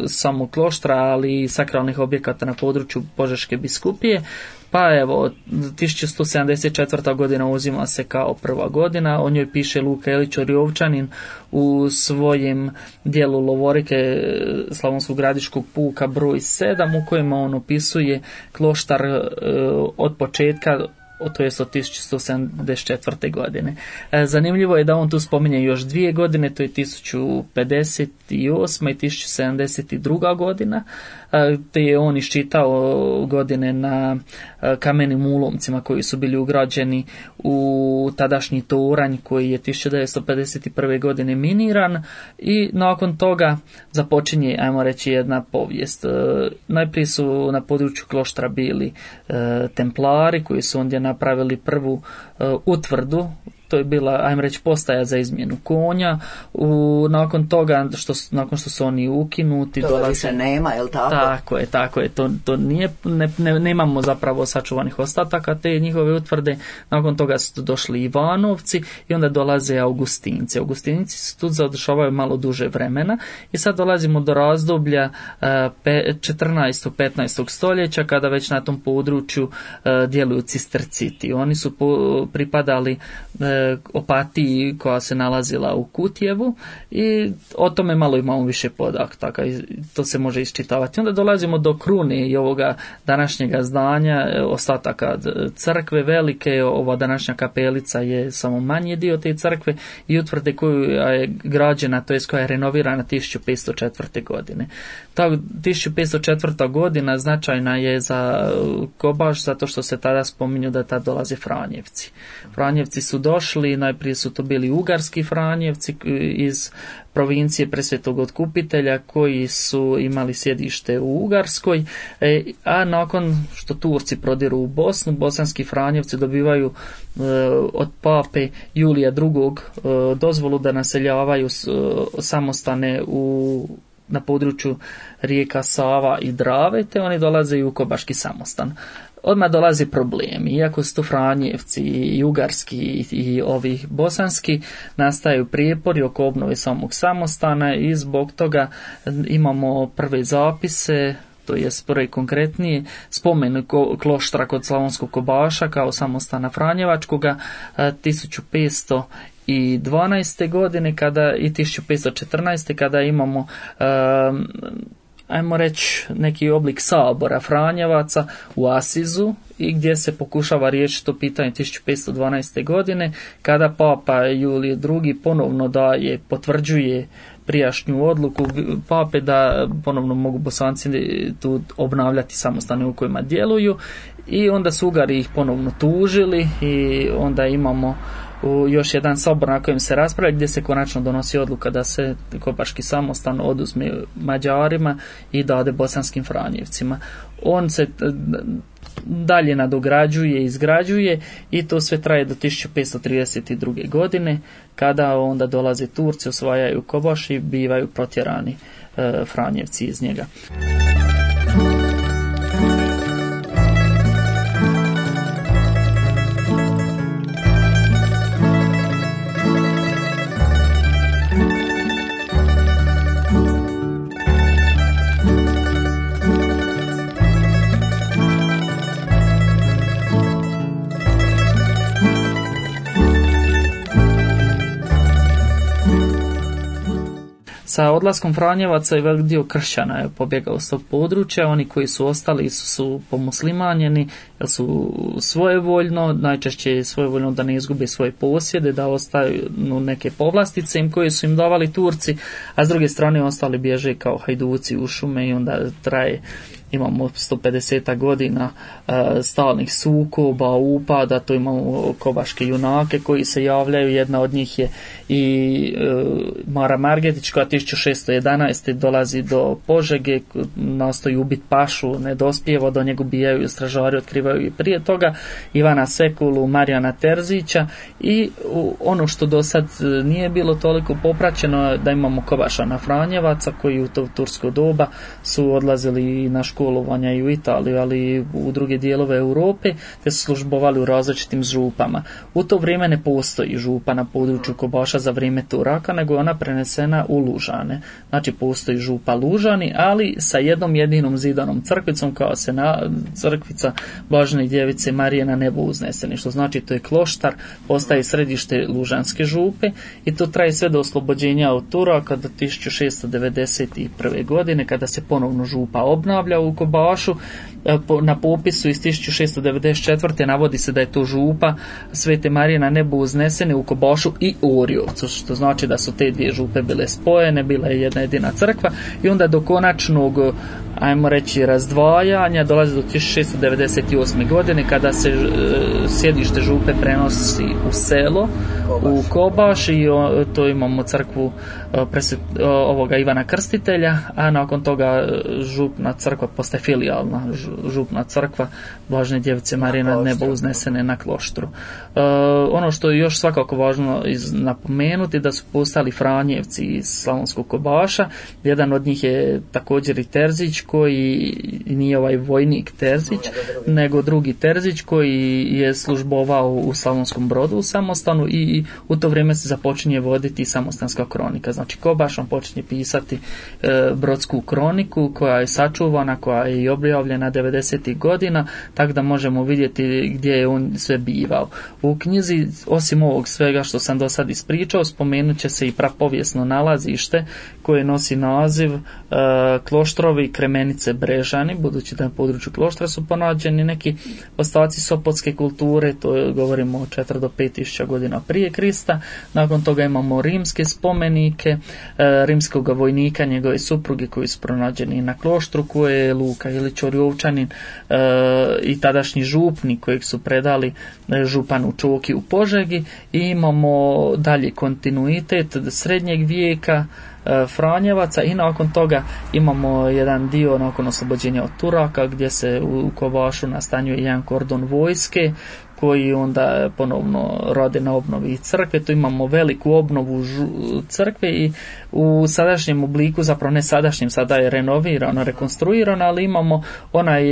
samog kloštra, ali i sakralnih objekata na području Požeške biskupije. Pa evo, tisuću sto sedamdeset četvrta godina uzima se kao prva godina, o njoj piše Luka Elić Orjovčanin u svojem dijelu Lovorike Slavonskog gradiškog puka broj sedam, u kojima on opisuje kloštar od početka, to jest od tisuću sto sedamdeset četvrte godine. Zanimljivo je da on tu spominje još dvije godine, to je tisuću pedeset osma i tisuću sedamdeset druga godina, te je on iščitao godine na kamenim ulomcima koji su bili ugrađeni u tadašnji toranj koji je tisuću devetsto pedeset prve godine miniran, i nakon toga započinje, ajmo reći, jedna povijest. Najprije su na području kloštra bili templari koji su ondje napravili prvu utvrdu. To je bila, ajmo reći, postaja za izmjenu konja. U, nakon toga, što, nakon što su oni ukinuti, to dolazi, više nema, je li tako? Tako je, tako je. To, to nije, ne, ne, nemamo zapravo sačuvanih ostataka te njihove utvrde. Nakon toga su došli Ivanovci i onda dolaze Augustinci. Augustinci su tu zadržavaju malo duže vremena i sad dolazimo do razdoblja četrnaestog petnaestog stoljeća, kada već na tom području uh, djeluju cisterciti. Oni su po, pripadali uh, Opatiji koja se nalazila u Kutjevu, i o tome malo imamo više podataka i to se može iščitavati. Onda dolazimo do krune i ovoga današnjega zdanja, ostataka crkve velike. Ova današnja kapelica je samo manji dio te crkve i utvrde koju je građena, to jest koja je renovirana tisuću petsto četvrte godine. Ta tisuću petsto četvrta godina značajna je za Kobaš zato što se tada spominju da tada dolaze Franjevci. Franjevci su došli, najprije su to bili ugarski Franjevci iz provincije Presvetog Otkupitelja koji su imali sjedište u Ugarskoj, a nakon što Turci prodiru u Bosnu, bosanski Franjevci dobivaju od pape Julija drugog dozvolu da naseljavaju samostane u na području rijeka Sava i Drave, te oni dolaze i u Kobaški samostan. Odmah dolazi problemi. Iako su to Franjevci i ugarski i, i ovi bosanski, nastaju prijepori oko obnove samog samostana i zbog toga imamo prve zapise, to je prvi konkretniji spomen kloštra kod Slavonskog Kobaša kao samostana Franjevačkoga tisuću petsto dvanaeste godine kada, i tisuću petsto četrnaeste kada imamo um, ajmo reći neki oblik sabora Franjevaca u Asizu, i gdje se pokušava riješiti to pitanje tisuću petsto dvanaeste godine kada papa Julije drugi ponovno daje, potvrđuje prijašnju odluku pape da ponovno mogu Bosanci tu obnavljati samostane u kojima djeluju, i onda su Ugari ih ponovno tužili i onda imamo u još jedan sabor na kojem se raspravlja, gdje se konačno donosi odluka da se Kobaški samostan oduzme Mađarima i dade bosanskim Franjevcima. On se dalje nadograđuje, izgrađuje, i to sve traje do tisuću petsto trideset druge godine kada onda dolaze Turci, osvajaju Kobaš i bivaju protjerani e, Franjevci iz njega. Sa odlaskom Franjevaca i velik dio kršćana je pobjegao s tog područja. Oni koji su ostali su, su pomuslimanjeni, jer su svojevoljno, najčešće svojevoljno da ne izgube svoje posjede, da ostaju neke povlastice im koje su im davali Turci, a s druge strane ostali bježe kao hajduci u šume i onda traje, imamo sto pedeset godina uh, stalnih sukoba, upada, to imamo kobaške junake koji se javljaju, jedna od njih je i uh, Mara Margetić koja tisuću šesto jedanaeste dolazi do Požege, nastoji ubiti pašu, ne dospijeva, do njega ubijaju stražari, otkrivaju i prije toga, Ivana Sekulu, Marijana Terzića i uh, ono što do sad nije bilo toliko popraćeno, da imamo Kobašana Franjevaca koji u to tursko doba su odlazili na školovanja i u Italiju, ali i u druge dijelove Europe, te su službovali u različitim župama. U to vrijeme ne postoji župa na području Kobaša za vrijeme Turaka, nego je ona prenesena u Lužane. Znači postoji župa Lužani, ali sa jednom jedinom zidanom crkvicom, kao se na crkvica Blažene djevice Marije na nebo uzneseni, što znači to je kloštar, postaje središte Lužanske župe i to traje sve do oslobođenja od Turaka do tisuću šesto devedeset prve. godine, kada se ponovno župa obnavlja u Kobašu. Na popisu iz tisuću šesto devedeset četvrte. navodi se da je to župa Svete Marije na nebu uznesene u Kobašu i Orjovcu, što znači da su te dvije župe bile spojene, bila je jedna jedina crkva i onda do konačnog, ajmo reći, razdvajanja dolazi do tisuću šesto devedeset osme. godine kada se e, sjedište župe prenosi u selo, Kobaš. u Kobaš i o, to imamo crkvu e, presvet, e, ovoga Ivana Krstitelja, a nakon toga župna crkva postaje filijalna župna crkva Blažene djevice Marije na nebo uznesene na Kloštru. E, ono što je još svakako važno iz, napomenuti, da su postali Franjevci iz Slavonskog Kobaša. Jedan od njih je također i Terzić, koji nije ovaj vojnik Terzić, nego drugi Terzić koji je službovao u Slavonskom Brodu u samostanu i u to vrijeme se započinje voditi samostanska kronika. Znači Kobaš on počinje pisati e, brodsku kroniku koja je sačuvana, koja je i objavljena devedesetih godina, tako da možemo vidjeti gdje je on sve bivao. U knjizi, osim ovog svega što sam do sad ispričao, spomenut će se i prapovijesno nalazište koje nosi naziv e, Kloštrovi Kremenice Brežani, budući da na području Kloštra su pronađeni neki ostaci sopotske kulture, to je, govorimo o četiri do pet tisuća godina prije Krista. Nakon toga imamo rimske spomenike, e, rimskog vojnika, njegove supruge koji su pronađeni na Kloštru, koje je Luka Ilić Orjovčanin e, i tadašnji župnik kojeg su predali e, županu Čoki u Požegi. I imamo dalje kontinuitet srednjeg vijeka, Franjevaca i nakon toga imamo jedan dio nakon oslobođenja od Turaka gdje se u Kobašu nastanjuje jedan kordon vojske koji onda ponovno rade na obnovi crkve. Tu imamo veliku obnovu crkve i u sadašnjem obliku, zapravo ne sadašnjem, sada je renovirano, rekonstruirano, ali imamo onaj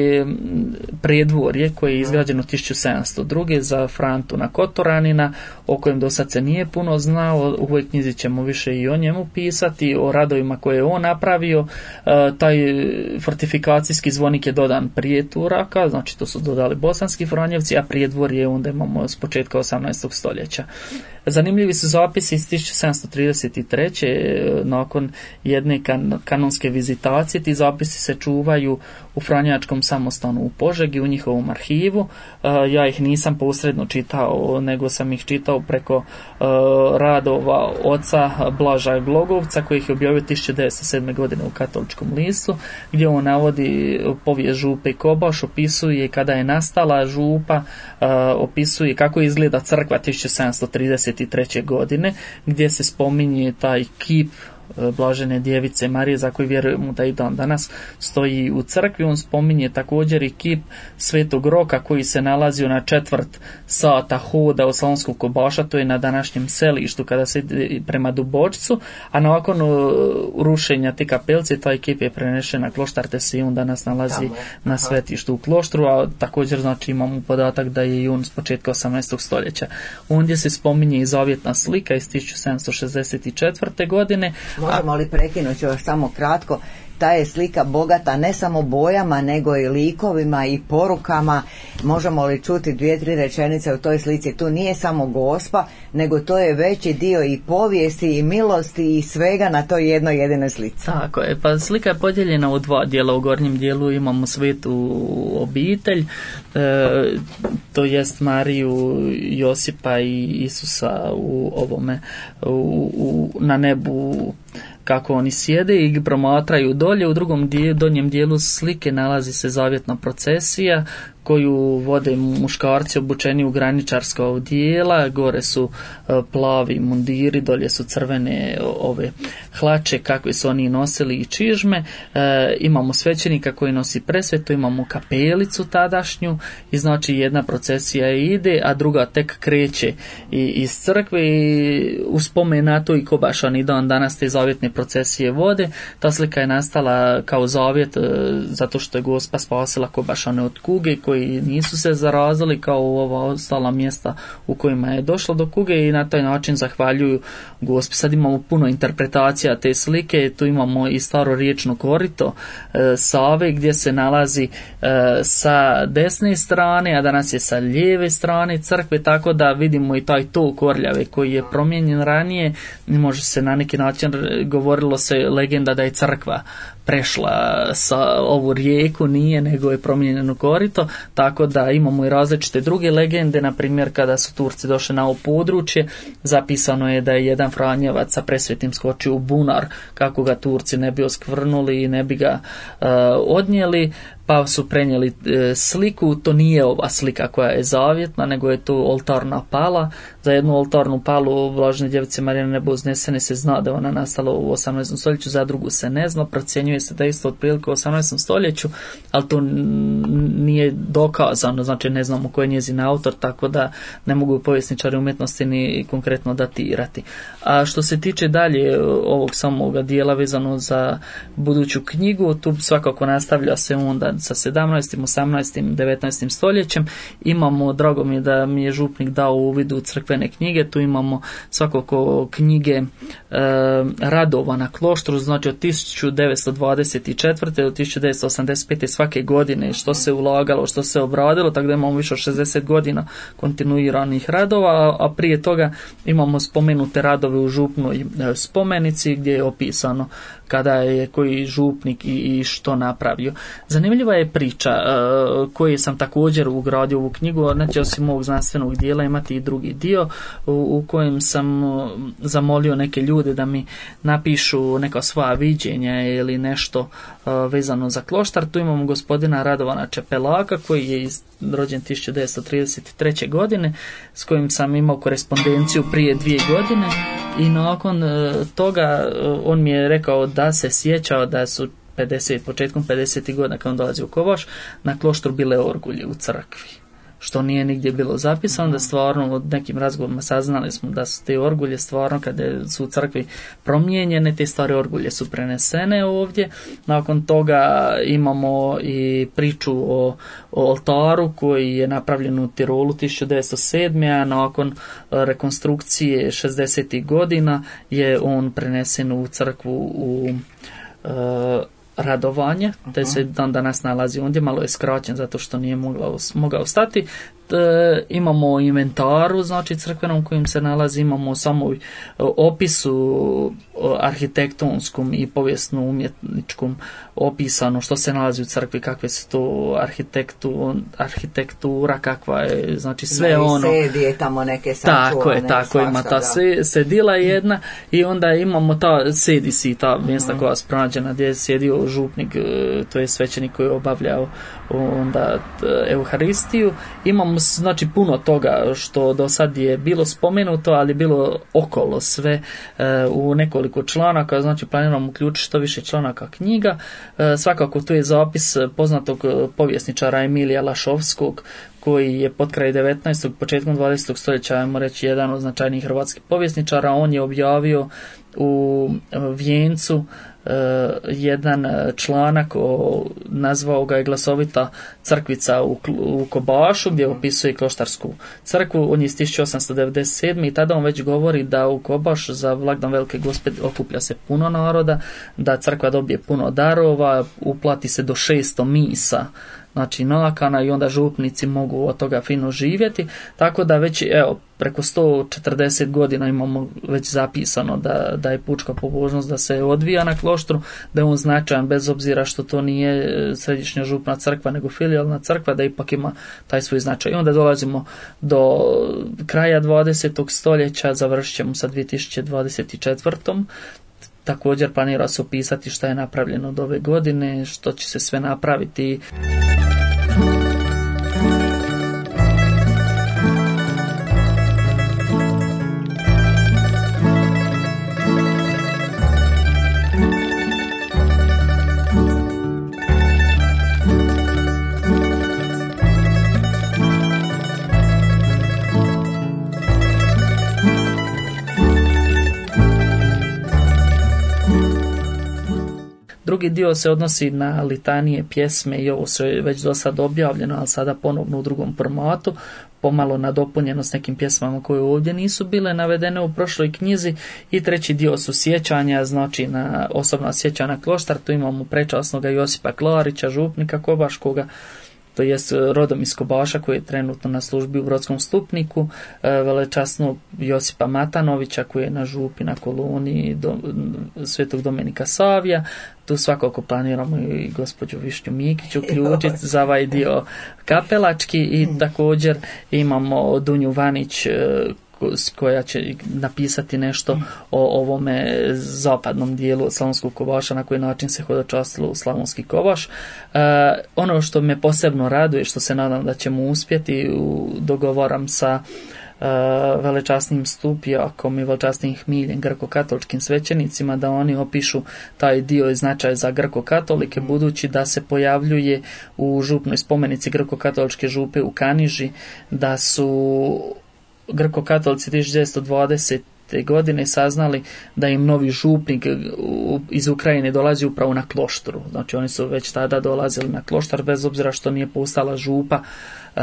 predvorje koje je izgrađeno tisuću sedamsto druge za Frantuna Kotoranina, o kojem do sad se nije puno znao. U ovoj knjizi ćemo više i o njemu pisati, o radovima koje je on napravio. E, taj fortifikacijski zvonik je dodan prije Turaka, znači to su dodali bosanski Franjevci, a predvorje onda imamo s početka osamnaestog stoljeća. Zanimljivi su zapisi iz tisuću sedamsto trideset treće. nakon jedne kan- kanonske vizitacije. Ti zapisi se čuvaju u Franjačkom samostanu u Požegi, u njihovom arhivu. Ja ih nisam posredno čitao, nego sam ih čitao preko radova oca Blaža Glogovca, koji ih je objavio tisuću devetsto sedme. godine u Katoličkom listu, gdje on navodi povijest župe Kobaš, opisuje kada je nastala župa, opisuje kako izgleda crkva tisuću sedamsto trideset treće. godine, gdje se spominje taj kip Blažene djevice Marije, za koju vjerujemo da i dan danas stoji u crkvi. On spominje također i kip Svetog Roka koji se nalazio na četvrt sata hoda od Slavonskog Kobaša, to je na današnjem selištu kada se ide prema Dubočcu, a nakon rušenja te kapelce taj kip je prenešen na Kloštar, te se i on danas nalazi Tamo. na svetištu u Kloštru, a također znači imamo podatak da je i on s početka osamnaestog stoljeća. Ondje se spominje i zavjetna slika iz tisuću sedamsto šezdeset četvrte. godine. Možemo li prekinuti još samo kratko? ta je slika bogata ne samo bojama, nego i likovima i porukama. Možemo li čuti dvije, tri rečenice u toj slici? Tu nije samo Gospa, nego to je veći dio i povijesti i milosti i svega na toj jednoj jedinoj slici. Tako je, pa slika je podijeljena u dva dijela. U gornjem dijelu imamo svetu obitelj, e, to jest Mariju, Josipa i Isusa u ovome u, u, na nebu, kako oni sjede i promatraju dolje. U drugom dijelu, donjem dijelu slike nalazi se zavjetna procesija koju vode muškarci obučeni u graničarska odijela, gore su plavi mundiri, dolje su crvene ove hlače kakve su oni nosili i čižme. E, imamo svećenika koji nosi presvetu, imamo kapelicu tadašnju i znači jedna procesija ide, a druga tek kreće i, iz crkve i u spomen na to i Kobašani dan danas te zavjetne procesije vode. Ta slika je nastala kao zavjet e, zato što je Gospa spasila Kobašane od kuge koji nisu se zarazili kao u ova ostala mjesta u kojima je došlo do kuge i na taj način zahvaljuju Gospi. Sad imamo puno interpretacija te slike, tu imamo i staro riječno korito e, Save gdje se nalazi e, sa desne strane, a danas je sa lijeve strane crkve, tako da vidimo i taj tok Orljave koji je promijenjen ranije. Može se na neki način, govorilo se legenda da je crkva prešla sa ovu rijeku, nije, nego je promijenjeno korito, tako da imamo i različite druge legende. Na primjer, kada su Turci došli na ovo područje, zapisano je da je jedan Franjevac sa presvetim skočio u bunar kako ga Turci ne bi oskvrnuli i ne bi ga uh, odnijeli, pa su prenijeli e, sliku. To nije ova slika koja je zavjetna, nego je to oltarna pala. Za jednu oltarnu palu Blažene Djevice Marije na nebo uznesene se zna da ona nastala u osamnaestom stoljeću, za drugu se ne zna, procjenjuje se da je isto otprilike u osamnaestom stoljeću, ali to nije dokazano, znači ne znamo ko je njezin autor, tako da ne mogu povjesničari umjetnosti ni konkretno datirati. A što se tiče dalje ovog samoga dijela vezano za buduću knjigu, tu svakako nastavlja se onda sa sedamnaestim, osamnaestim, devetnaestim stoljećem. Imamo, drago mi je da mi je župnik dao uvid u crkvene knjige, tu imamo svakako knjige e, radova na kloštru, znači od tisuću devetsto dvadeset četvrte do tisuću devetsto osamdeset pete svake godine, što se ulagalo, što se obradilo, tako da imamo više od šezdeset godina kontinuiranih radova, a prije toga imamo spomenute radove u župnoj spomenici gdje je opisano kada je koji župnik i, i što napravio. Zanimljiva je priča uh, koju sam također ugradio u ovu knjigu, znači osim ovog znanstvenog dijela imati i drugi dio u, u kojem sam uh, zamolio neke ljude da mi napišu neka svoja viđenja ili nešto uh, vezano za kloštar. Tu imamo gospodina Radovana Čepelaka koji je iz, rođen tisuću devetsto trideset treće godine, s kojim sam imao korespondenciju prije dvije godine i nakon uh, toga uh, on mi je rekao da se sjećao da su pedeset, početkom pedesetih godina kad on dolazi u Kobaš, na kloštru bile orgulje u crkvi. Što nije nigdje bilo zapisano, da stvarno od nekim razgovorima saznali smo da su te orgulje stvarno kada su u crkvi promijenjene, te stare orgulje su prenesene ovdje. Nakon toga imamo i priču o, o oltaru koji je napravljen u Tirolu tisuću devetsto sedme. a nakon rekonstrukcije šezdesetih godina je on prenesen u crkvu u uh, Radovanje, te se dan danas nalazi ondje, malo je skraćen zato što nije mogao, mogao stati. E, imamo inventaru, znači crkvenom kojim se nalazi, imamo samo opisu arhitektonskom i povijesno umjetničkom opisano što se nalazi u crkvi, kakve su to arhitektu, arhitektura, kakva je, znači sve da, ono. Sedi je tamo neke sačuvane. Tako je, tako ima ta se, sedila jedna i onda imamo ta sedi si, ta mjesta mm-hmm. koja je pronađena gdje je sjedio župnik, to je svećenik koji je obavljao onda Euharistiju. Imamo znači puno toga što do sad je bilo spomenuto, ali bilo okolo sve e, u nekoliko članaka, znači planiramo uključiti što više članaka knjiga. E, svakako tu je zapis poznatog povjesničara Emilija Lašovskog, koji je pod kraj devetnaestog. početkom dvadesetog stoljeća, ajmo reći, jedan od značajnijih hrvatskih povjesničara. On je objavio u Vijencu jedan članak o, nazvao ga je Glasovita crkvica u, u Kobašu, gdje opisuje kloštarsku crkvu. On je iz tisuću osamsto devedeset sedme i tada on već govori da u Kobaš za blagdan Velike Gospe okuplja se puno naroda, da crkva dobije puno darova, uplati se do šesto misa, znači nakana, i onda župnici mogu od toga fino živjeti, tako da već evo preko sto četrdeset godina imamo već zapisano da, da je pučka pobožnost da se odvija na kloštru, da je on značajan bez obzira što to nije središnja župna crkva nego filijalna crkva, da ipak ima taj svoj značaj. I onda dolazimo do kraja dvadesetog stoljeća, završit ćemo sa dvije tisuće dvadeset četvrtom. Također planira se opisati šta je napravljeno od ove godine, što će se sve napraviti. Drugi dio se odnosi na litanije, pjesme i ovo sve već do sad objavljeno, ali sada ponovno u drugom formatu, pomalo nadopunjeno s nekim pjesmama koje ovdje nisu bile navedene u prošloj knjizi. I treći dio su sjećanja, znači na osobna sjećanja na kloštar. Tu imamo prečasnoga Josipa Klarića, župnika Kobaškoga, to jest rodom iz Kobaša, koji je trenutno na službi u Brodskom Stupniku, velečasnog Josipa Matanovića koji je na župi na koloni do, Svetog Domenika Savija. Tu svakako planiramo i gospođu Višnju Mikić uključiti za ovaj dio kapelački, i također imamo Dunju Vanić koja će napisati nešto o ovome zapadnom dijelu Slavonskog Kobaša, na koji način se hodočastilo u Slavonski Kobaš. E, ono što me posebno raduje, što se nadam da ćemo uspjeti, u, dogovoram sa e, velečasnim Stupijakom i velečasnim Hmiljem, grko-katoličkim svećenicima, da oni opišu taj dio i značaj za grko-katolike, budući da se pojavljuje u župnoj spomenici grko-katoličke župe u Kaniži, da su grko-katolici tisuću devetsto dvadesete godine saznali da im novi župnik iz Ukrajine dolazi upravo na kloštru. Znači oni su već tada dolazili na kloštar, bez obzira što nije postala župa uh,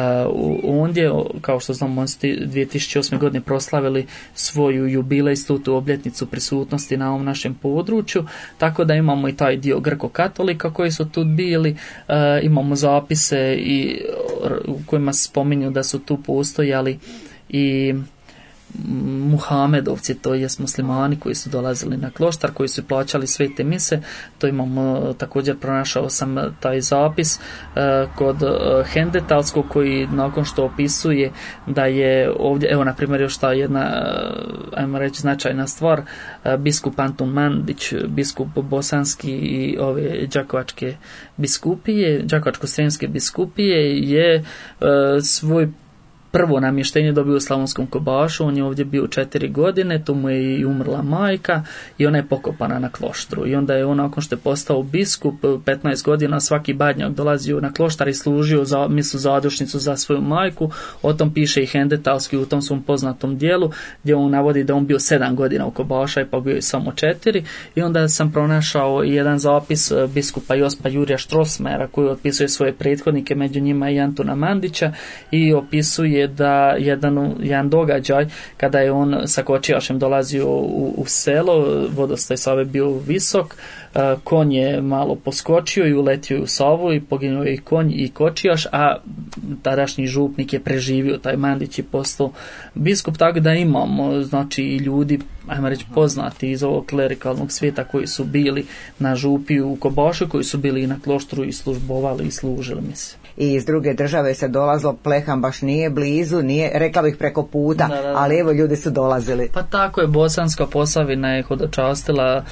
ondje. Kao što znamo, oni su dvije tisuće osme godine proslavili svoju jubilejsku tu obljetnicu prisutnosti na ovom našem području, tako da imamo i taj dio grko-katolika koji su tu bili. Uh, imamo zapise i, u kojima se spominju da su tu postojali i Muhamedovci, to jest muslimani koji su dolazili na kloštar, koji su plaćali svete mise. To imamo također, pronašao sam taj zapis uh, kod uh, Hendetalskog, koji nakon što opisuje da je ovdje, evo na primjer još ta jedna, uh, ajmo reći, značajna stvar, uh, biskup Antun Mandić, biskup bosanski i ove đakovačke biskupije, đakovačko-srijemske biskupije, je uh, svoj prvo namještenje dobio u Slavonskom Kobašu. On je ovdje bio četiri godine, tu mu je i umrla majka i ona je pokopana na kloštru. I onda je on, nakon što je postao biskup, petnaest godina svaki badnjak dolazio na kloštar i služio za misu zadušnicu za svoju majku. O tom piše i Hendetalski u tom svom poznatom dijelu, gdje on navodi da on bio sedam godina u Kobaša i pa bio je samo četiri. I onda sam pronašao i jedan zapis biskupa Jospa Jurija Štrosmera, koji opisuje svoje prethodnike, među njima i Antuna Mandića, i opisuje da jedan, jedan događaj kada je on sa kočijašem dolazio u, u selo, vodostaj Save bio visok, konj je malo poskočio i uletio u Savu i poginuo je i konj i kočijaš, a tadašnji župnik je preživio, taj Mandić je postao biskup. Tako da imamo, znači, i ljudi, ajmo reći, poznati iz ovog klerikalnog svijeta koji su bili na župi u Kobašu, koji su bili i na kloštru i službovali i služili mi se. I iz druge države se dolazilo, Plehan baš nije blizu, nije, rekla bih, preko puta, da, da, da. Ali evo, ljudi su dolazili. Pa tako je, Bosanska Posavina je hodočastila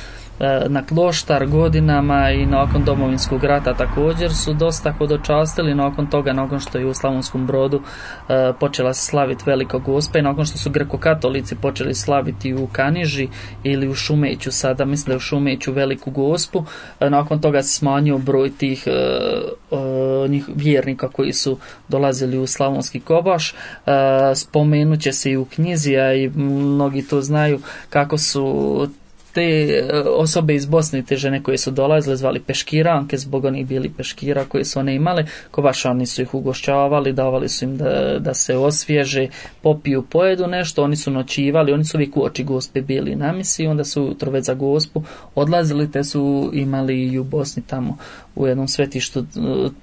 na kloštar godinama i nakon Domovinskog rata također su dosta hodočastili. Nakon toga, nakon što je u Slavonskom Brodu e, počela se slaviti Velika Gospa i nakon što su greko-katolici počeli slaviti u Kaniži ili u Šumeću, sada mislim da je u Šumeću Veliku Gospu, e, nakon toga se smanjio broj tih e, e, njih vjernika koji su dolazili u Slavonski Kobaš. E, spomenut će se i u knjizi, a i mnogi to znaju, kako su te osobe iz Bosne, te žene koje su dolazile, zvali peškiranke, zbog onih bili peškira koje su one imale, kobašani su ih ugošćavali, davali su im da, da se osvježe, popiju, pojedu nešto, oni su noćivali, oni su uvijek uoči Gospe bili na misi, onda su ujutro već za Gospu odlazili, te su imali i u Bosni tamo u jednom svetištu,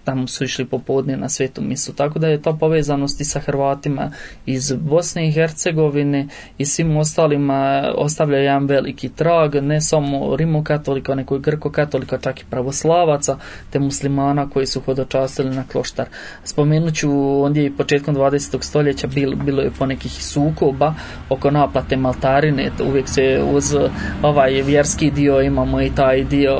tamo su išli popodne na svetu misu, tako da je to povezanost i sa Hrvatima iz Bosne i Hercegovine i svim ostalima ostavlja jedan veliki trag, ne samo rimokatolika, nego i grko-katolika, čak i pravoslavaca, te muslimana koji su hodočastili na kloštar. Spomenut ću, ondje i početkom dvadesetog stoljeća bilo, bilo je ponekih sukoba oko naplate maltarine, uvijek se uz ovaj vjerski dio imamo i taj dio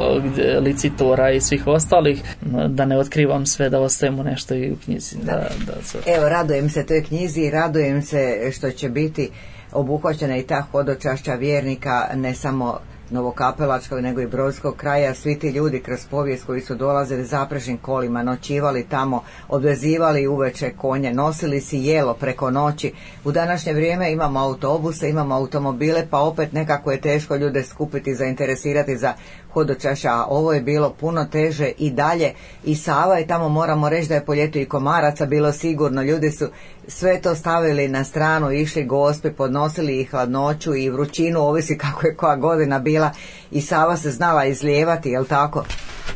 licitora i svih ostalih, da ne otkrivam sve, da ostajemo nešto i u knjizi. Da, da, da, Evo, radujem se toj knjizi i radujem se što će biti obuhvaćena i ta hodočašća vjernika, ne samo novokapelačkog nego i brodskog kraja. Svi ti ljudi kroz povijest koji su dolazili zaprežnim kolima, noćivali tamo, odvezivali uveče konje, nosili si jelo preko noći. U današnje vrijeme imamo autobuse, imamo automobile, pa opet nekako je teško ljude skupiti, zainteresirati za hodočašća, a ovo je bilo puno teže i dalje. I Sava je tamo, moramo reći da je po ljetu i komaraca bilo sigurno, ljudi su sve to stavili na stranu, išli Gospi, podnosili i hladnoću i vrućinu, ovisi kako je koja godina bila, i Sava se znala izlijevati, jel tako?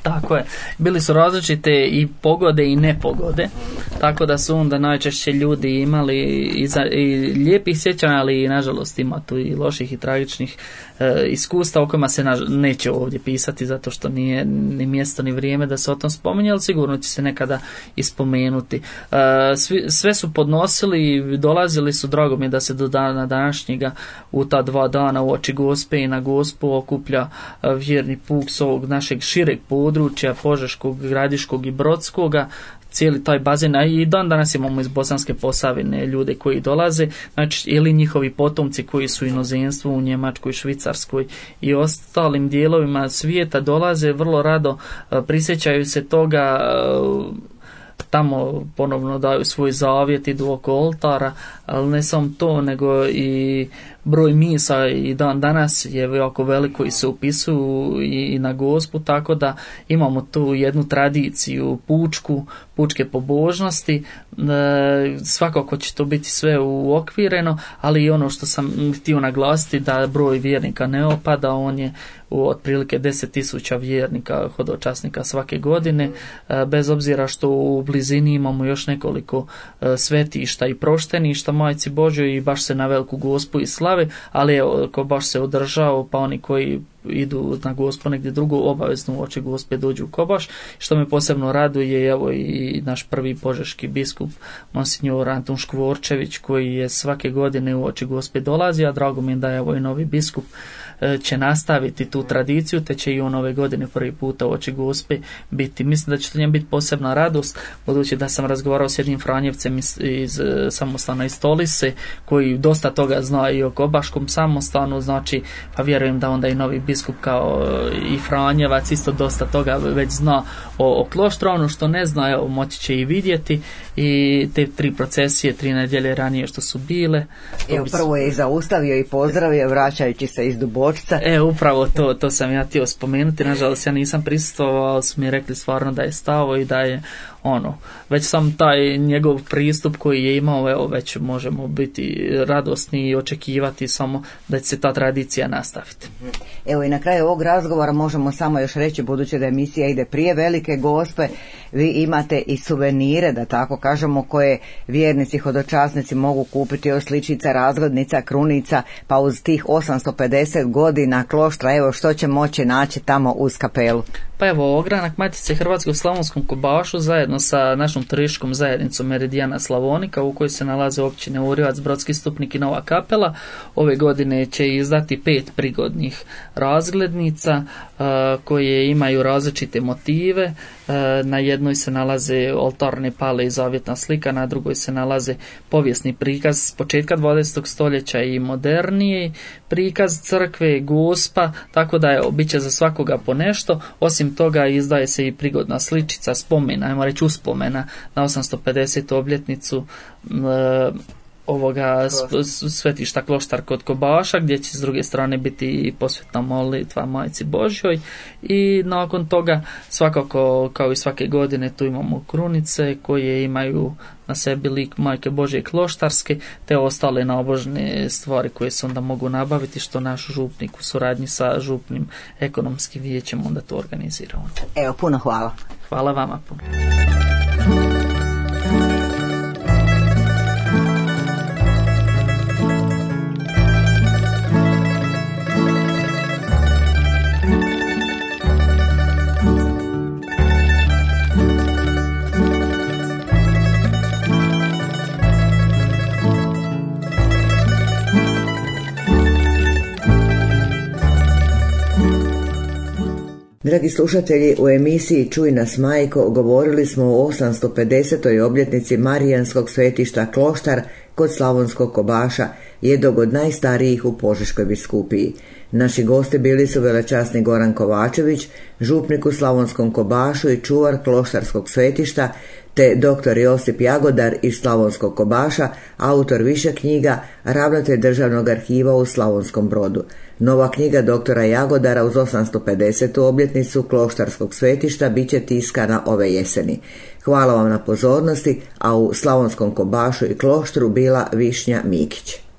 Tako je. Bili su različite i pogode i nepogode, tako da su onda najčešće ljudi imali i, za, i lijepih sjećanja, ali i nažalost ima tu i loših i tragičnih e, iskustva o kojima se naž, neće ovdje pisati, zato što nije ni mjesto ni vrijeme da se o tom spominje, ali sigurno će se nekada ispomenuti. E, svi, sve su podnosili, dolazili su, drago mi je da se do dana današnjega u ta dva dana u oči Gospe i na Gospu okuplja e, vjerni puk s ovog našeg šireg područja Požeškog, Gradiškog i Brodskoga, cijeli taj bazen, a i dan danas imamo iz Bosanske Posavine ljude koji dolaze, znači ili njihovi potomci koji su u inozemstvu, u Njemačkoj, Švicarskoj i ostalim dijelovima svijeta dolaze vrlo rado, prisjećaju se toga, tamo ponovno daju svoj zavjet, idu oko oltara, ali ne samo to, nego i broj misa i dan danas je jako veliko i se upisuju i na Gospu, tako da imamo tu jednu tradiciju pučku, pučke pobožnosti. E, svakako će to biti sve uokvireno, ali i ono što sam htio naglasiti, da broj vjernika ne opada, on je u otprilike deset tisuća vjernika, hodočasnika svake godine, e, bez obzira što u blizini imamo još nekoliko e, svetišta i prošteništa Majci Božjoj i baš se na Veliku Gospu i slave, ali evo, ko baš se održao, pa oni koji idu na Gospu negdje drugo, obavezno u oči Gospe dođu u Kobaš. Što me posebno raduje, evo i naš prvi požeški biskup Monsignor Antun Škvorčević, koji je svake godine u oči Gospe dolazi, a drago mi je da je evo i novi biskup će nastaviti tu tradiciju, te će i on ove godine prvi puta u oči Gospe biti. Mislim da će to njem biti posebna radost, budući da sam razgovarao s jednim Franjevcem iz, iz samostana iz Stolice, koji dosta toga zna i o Kobaškom samostanu, znači, pa vjerujem da onda i novi biskup kao i Franjevac isto dosta toga već zna o, o kloštru. Ono što ne zna, evo, moći će i vidjeti, i te tri procesije, tri nedjelje ranije što su bile. Evo, prvo je i zaustavio i pozdravio, vraćajući se iz Dubočca. E, upravo to, to sam ja htio spomenuti, nažalost ja nisam prisustvovao, ali su mi rekli stvarno da je stavo i da je ono, već sam taj njegov pristup koji je imao, evo, već možemo biti radosni i očekivati samo da će se ta tradicija nastaviti. Evo, i na kraju ovog razgovora možemo samo još reći, budući da emisija ide prije Velike Gospe, vi imate i suvenire, da tako kažemo, koje vjernici, hodočasnici mogu kupiti, od sličica, razglednica, krunica, pa uz tih osamsto pedeset godina kloštra, evo što će moći naći tamo uz kapelu. Pa evo, ogranak Matice Hrvatske u Slavonskom Kobašu zajedno sa našom turističkom zajednicom Meridijana Slavonika, u kojoj se nalaze općine Urjevac, Brodski Stupnik i Nova Kapela, ove godine će izdati pet prigodnih razglednica uh, koje imaju različite motive. Uh, na jednoj se nalaze oltarne pale i zavjetna slika, na drugoj se nalaze povijesni prikaz s početka dvadesetog stoljeća i moderniji prikaz crkve, Gospa, tako da je bit će za svakoga po nešto. Osim toga izdaje se i prigodna sličica spomena, ajmo reći uspomena na osamsto pedesetu obljetnicu e, ovoga svetišta Kloštar kod Kobaša, gdje će s druge strane biti i posvetna molitva Majci Božjoj, i nakon toga svakako kao i svake godine tu imamo krunice koje imaju na sebi lik Majke Božje Kloštarske, te ostale naobožne stvari koje se onda mogu nabaviti, što naš župnik u suradnji sa župnim ekonomskim vijećem onda to organiziramo. Evo, puno hvala. Hvala vama puno. Dragi slušatelji, u emisiji Čuj nas majko govorili smo o osamsto pedesetoj obljetnici Marijanskog svetišta Kloštar kod Slavonskog Kobaša, jednog od najstarijih u Požeškoj biskupiji. Naši gosti bili su velečasni Goran Kovačević, župnik u Slavonskom Kobašu i čuvar kloštarskog svetišta, te doktor Josip Jagodar iz Slavonskog Kobaša, autor više knjiga, ravnatelj Državnog arhiva u Slavonskom Brodu. Nova knjiga doktora Jagodara uz osamsto pedesetu obljetnicu kloštarskog svetišta bit će tiskana ove jeseni. Hvala vam na pozornosti, a u Slavonskom Kobašu i Kloštru bila Višnja Mikić.